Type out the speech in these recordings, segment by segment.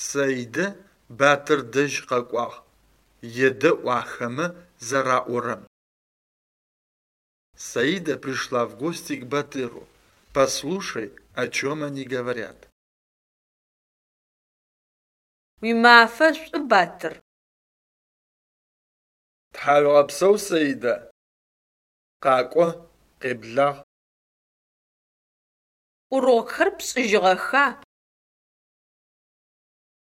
Саидэ Батыр дэжь къэкӏуагъ, едэӏу ахэмэ зэраӏорэм. Саида пришла в гости к Батыру. Послушай, о чем они говорят. Уимафэ шӏу, Батыр! Тхьауегъэпсэу, Саида. Къакӏо, къеблагъ. Урокхэр пшӏыжьыгъэха?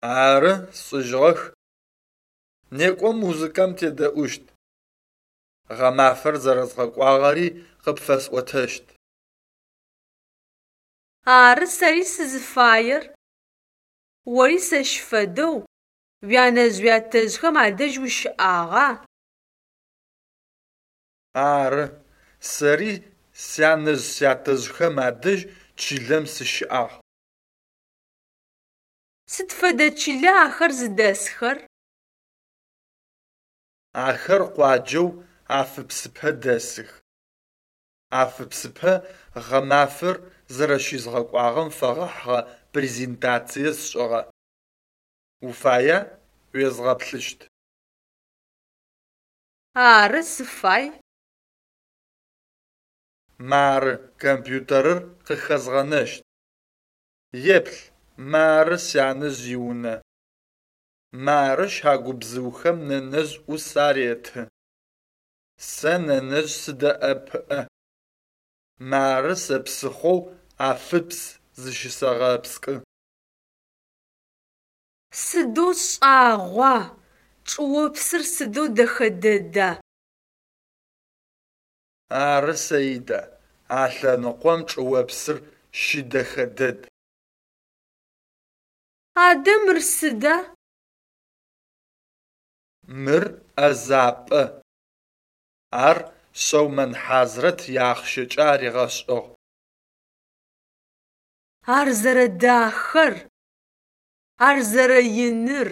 Ары, сшӏыжьыгъэх. Некӏо музыкэм тедэӏущт. Гъэмафэр зэрэзгъэкӏуагъэри къыпфэсӏотэщт. Ары сэри сызыфаер. Ори сэщ фэдэу уянэжъ-уятэжъхэм адэжь ущыӏагъа? Ары, сэри сянэжъ-сятэжъхэм адэжь чылэм сыщыӏагъ. Сыд фэдэ чыла ахэр зыдэсхэр? Ахэр къуаджэу Афыпсыпэ дэсых. Афыпсыпэ гъэмафэр зэрэщызгъэкӏуагъэм фэгъэхьыгъэ презентацие сшӏыгъэ. Уфая уезгъэплъыщт. Ары, сыфай. Мары компьютерыр къыхэзгъэнэщт. Еплъ, мары сянэжъ иунэ. Мары щагубзыухэм нэнэжъ ӏус ареты. Сэ нэнэжъ сыдэӏэпыӏэ. Мары сэ псыхъоу Афыпс зыщысэгъэпскӏы. Сыдэу шӏагъуа! Чӏыопсыр сыдэу дэхэ дэда! Ары, Саида, а лъэныкъом чӏыопсыр щыдэхэ дэд. Адэ мыр сыда? Мыр ӏэзапӏэ. Ар Шъэумэн Хьазрэт иахъщэкӏэ аригъэшӏыгъ. Ар зэрэдахэр! Ар зэрэиныр!